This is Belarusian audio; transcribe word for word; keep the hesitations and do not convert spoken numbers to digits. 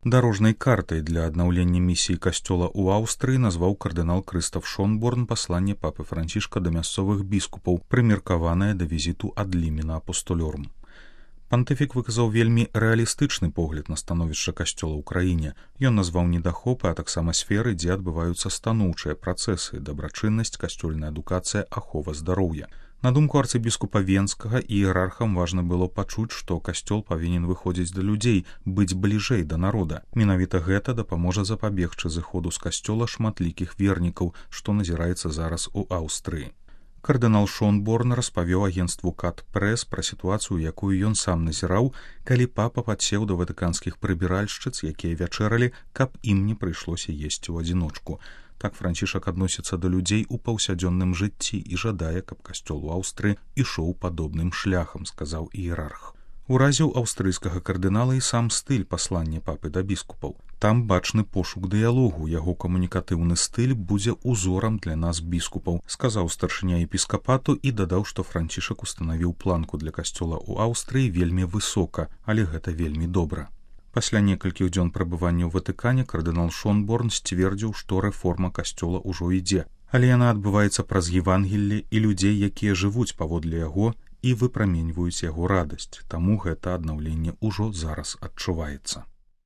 Дарожнай картай для аднаўлення місіі касцёла ў Аўстрыі назваў кардынал Крыстаф Шонборн пасланне папы Францішка да мясцовых біскупаў, прымеркаванае да візіту ад лімена апостолёрум. Пантыфік выказаў вельмі рэалістычны погляд на становішча касцёла ў краіне. Ён назваў недахопы, а таксама сферы, дзе адбываюцца станоўчыя працэсы, дабрачыннасць, касцёльная адукацыя, ахова здароўя. На думку арцыбіскупа Венскага, іерархам важна было пачуць, што касцёл павінен выходзіць да людзей, быць бліжэй да народа. Менавіта гэта дапаможа запабегчы зыходу з касцёла шматлікіх вернікаў, што назіраецца зараз у Аўстрыі. Кардынал Шонборн распавёў агенцтву Кат Прэс пра сітуацыю, якую ён сам назіраў, калі папа падсеў да ватыканскіх прыбіральшчыц, якія вячэралі, каб ім не прыйшлося есці ў адзіночку. Так Францішак адносіцца да людзей у паўсядзённым жыцці і жадае, каб касцёл у Аўстрыі ішоў падобным шляхам, сказаў іерарх. Уразіў аўстрыйскага кардынала і сам стыль паслання папы да біскупаў. Там бачны пошук дыялогу, яго камунікатыўны стыль будзе узорам для нас біскупаў, сказаў старшыня епіскапату і дадаў, што Францішак устанавіў планку для касцёла ў Аўстрыі вельмі высока, але гэта вельмі добра. Пасля некалькіх дзён прабывання ў Ватыкане кардынал Шонборн сцвердзіў, што рэформа касцёла ўжо ідзе, але яна адбываецца праз Евангелле і людзей, якія жывуць паводле яго і выпраменьваюць яго радасць, таму гэта аднаўленне ўжо зараз адчуваецца.